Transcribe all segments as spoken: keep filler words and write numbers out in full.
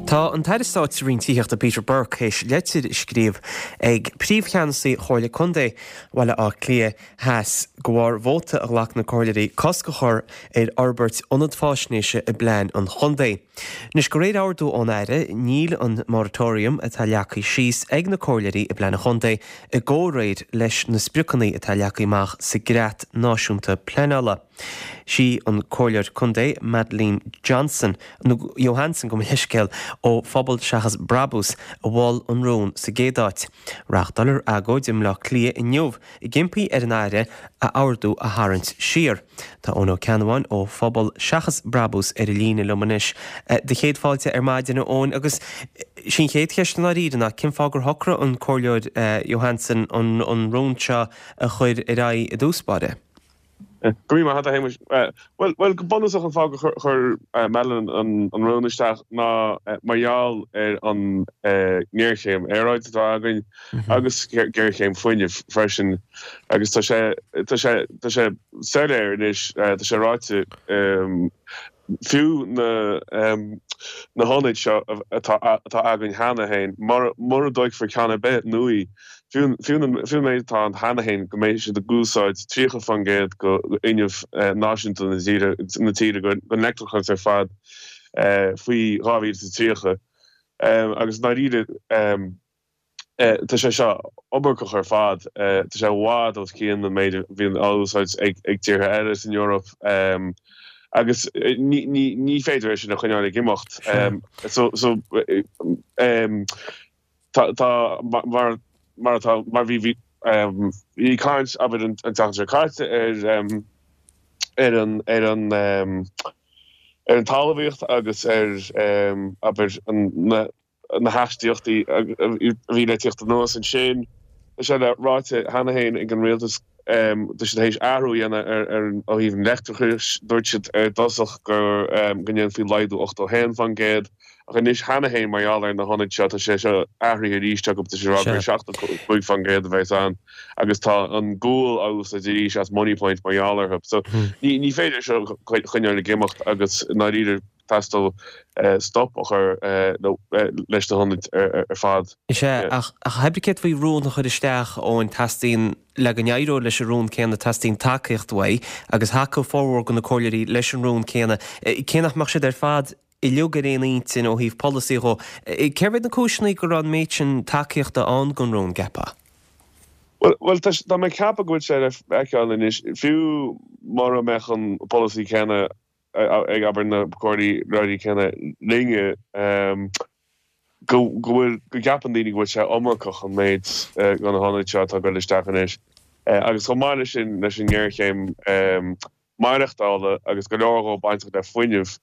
Tá an tAire Stáit sa Roinn Tithíochta Peter Burke théis leitir a scríobh ag príomhcheannasaí Chomhairle Contae Bhaile Átha Cliath Theas de bharr vóta a ghlac na comhairleoirí cosc a chur ar fhorbairt ionad faisnéise i bplean an chontae. Anois de réir ordú ón Aire níl an moratorium atá leagtha síos ag na comhairleoirí i bplean an chontae i gcomhréir leis na spriocanna atá leagtha amach sa gCreat Náisiúnta Pleanála. Sí an comhairleoir contae Madeleine Johnson nó Johansson gabh mo leithscéal ó Phobal Seachas Brabús a mhol an rún sa gcéad áit. Reáchtálar agóid i mBleá Cliath inniu ag impí ar an Aire a ordú a tharraingt siar. Tá Eoin Ó Ceannabháin ó Phobal Seachas Brabús ar an líne liom anois. Do chéad fáilte ar maidin Eoin agus sí an chéad cheist i ndáiríre ná cén fáth gur shocraigh an comhairleoir Johansson an an rún seo a chur ar aghaidh i dtús báire. Go raibh maith agat a Shéamais. Bhuel, bhuel, go bunúsach an fáth gur chuir Madeleine an an rún isteach ná mar gheall ar an ngéarchéim aeráide atá againn agus géarchéim fuinnimh freisin agus tá sé tá sé tá sé soiléir anois, tá sé ráite fiú na na hionaid seo atá atá againn cheana féin, mura mura dtógfar ceann ar bith nua, fiú fiú an méid atá ann cheana féin go mbeidh siad ag úsáid tríocha faoin gcéad de fhuinneamh náisiúnta na tíre na tíre den leictreachas ar fad faoi dhá mhíle is a tríocha. Agus i ndáiríre tá sé seo iomarcach ar fad, tá sé i bhfad os cionn an méid a bhíonn á úsáid ag ag tíortha eile san Eoraip agus ní ní ní féidir é sin a choinneáil ag imeacht. So so tá tá mar mar atá mar bhí bhí bhí caint abair an tseachtain seo caite ar ar an ar an ar an talmhaíocht agus ar abair an na na hastaíochtaí a bhí le tíocht anuas ansin. Tá sé le ráite cheana féin ag an rialtas tá siad théis athrú a dhéanamh ar ar ó thaobh an leictreachais. Dúirt siad ar dtosach gur go ndéanfaí laghdú ochtó haon faoin gcéad ach anois cheana féin mar gheall ar na hionaid seo tá sé seo athraithe arís acu tá sé rá gur seachtó cúig faoin gcéad a bheas ann agus tá an gual á úsáid arís as Moneypoint mar gheall orthu. So ní ní féidir seo choinneáil ag imeacht agus i ndáiríre teastaíonn stop a chur leis na hionaid ar fad. Is ea, ach cibé céard faoi rún a chur isteach Eoin teastaíonn le go n-éireodh leis an rún céanna teastaíonn tacaíocht uaidh agus thacaigh formhór de na comhairleoirí leis an rún céanna. Cé nach mbeadh siad ar fad uilig ar aon intinn ó thaobh polasaí dhó, cérbh iad na cúiseanna go raibh an méid sin tacaíochta ann don rún, gceapfá? Bhuel, tá mé ag ceapadh go bhfuil sé le feiceáil anois, fiú mura mbeadh an polasaí céanna ag abair na comhairleoirí céanna linne, go bhfuil, go gceapann daoine go bhfuil sé iomarcach an méid de na hionaid seo atá ag dul isteach anois. Agus chomh maith leis sin, leis an ngéarchéim maireachtála agus go leor dhó bainteach le fuinneamh,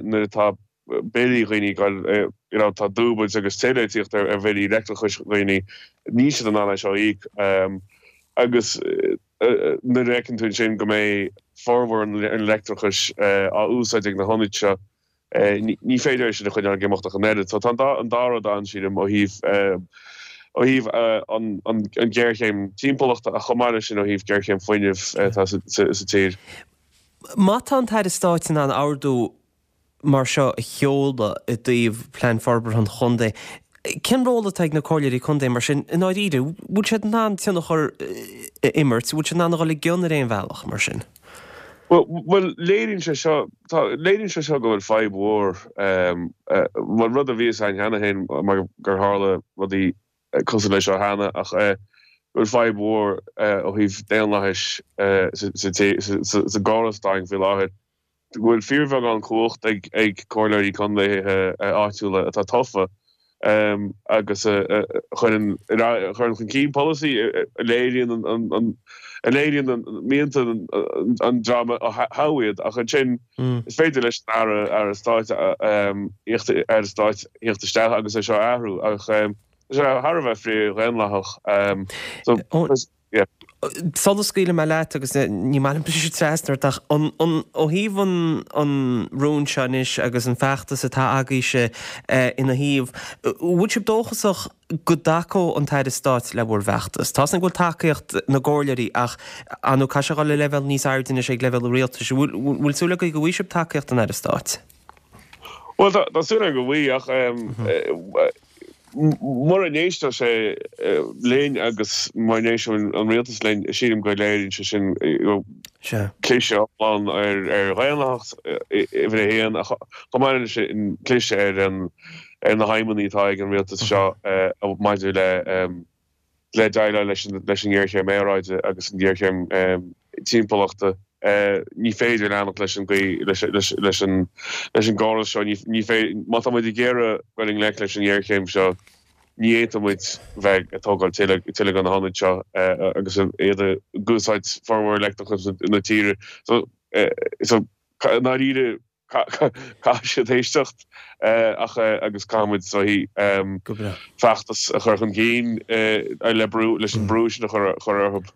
nuair atá billí dhaoine ag dul, you know, tá dúbailt agus tuilleadh ag tíocht ar bhillí leictreachais dhaoine, níl siad in ann é seo a íoc. Agus nuair a fheiceann tú ansin go mbeidh formhór an leictreachais á úsáid ag na hionaid seo, ní féidir é sin a choinneáil ag imeacht ach an oiread. So tá an dá rud ann, sílim, ó thaobh ó thaobh an ghéarchéim timpeallachta ach chomh maith leis sin ó thaobh géarchéim fuinnimh atá sa tír. Má tá an tAire Stáit in ann ordú mar seo a sheoladh i dtaobh Plean Forbartha an Chontae, cén ról atá ag na comhairleoirí contae mar sin i ndáiríre? Bhfuil siad in ann tionchar a imirt? Bhfuil siad in ann a dhul i gcion ar aon bhealach mar sin? Bhuel, léiríonn sé seo, tá, léiríonn sé seo go bhfuil fadhb mhór, bhuel, rud a bhí a fhios againn cheana féin mar gur tharla rudaí cosúil leis seo cheana ach go bhfuil fadhb mhór ó thaobh daonlathais sa gcóras atá againn faoi láthair. go bhfuil fíorbheagán cumhacht ag ag comhairleoirí contaetha áitiúla atá tofa agus a chuireann a chuireann chun cinn polasaí a léiríonn an a léiríonn an mianta an dream a thogh iad ach ansin is féidir leis an Aire Aire Stáit Aire Stáit theacht isteach agus é seo a athrú ach tá sé thar a bheith frith-dhaonlathach. So yeah. Sula scaoilfidh mé leat agus ní maith liom briseadh trasna ort ach an, an, ó thaobh an, an rúin seo anois agus an feachtas atá agaibhse ina thaobh, bhfuil sibh dóchasach go dtacódh an tAire Stáit le bhur bhfeachtas? Tá a fhios againn go bhfuil tacaíocht na gcomhairleoirí ach ar ndóigh caithfidh sé a dhul le leibhéal níos airde anois ag leibhéal an rialtais. Bhfuil, bhfuil súil agaibh go bhfaighidh sibh tacaíocht an Aire Stáit? Well tá súil agam go bhfuil ach mura n-éisteann sé linn agus mura n-éisteann an rialtas linn sílim go léiríonn sé sin cliseadh iomlán ar ar dhaonlathas uimhir a haon chomh maith leis sin cliseadh ar an ar na haidhmeanna atá ag an rialtas seo maidir le le déileáil leis an leis an ngéarchéim aeráide agus an ghéarchéim timpeallachta. Ní féidir leanacht leis an gcaoi leis an leis an gcóras seo ní féidir má tá muid ag iarraidh dul i ngleic leis an ngéarchéim seo ní fhéadfaidh muid bheith ag tógáil tuilleadh de na hionaid seo agus iad ag úsáid formhór leictreachas na tíre. So so i ndáiríre caithfidh siad éisteacht ach agus caithfidh muid so feachtas a chur chun cinn le brú leis an brú sin a chur orthu.